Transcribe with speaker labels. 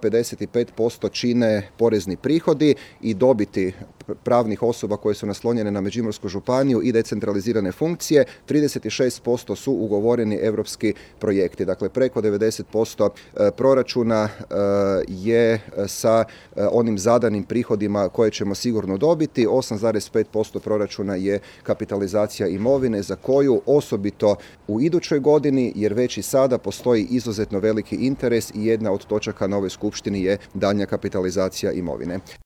Speaker 1: 55% čine porezni prihodi i dobiti pravnih osoba koje su naslonjene na Međimursku županiju i decentralizirane funkcije, 36% su ugovoreni europski projekti. Dakle, preko 90% proračuna je sa onim zadanim prihodima koje ćemo sigurno dobiti. 8,5% proračuna je kapitalizacija imovine za koju osobito u idućoj godini, jer već i sada postoji izuzetno veliki interes i jedna od točaka na ovoj skupštini je daljnja kapitalizacija imovine.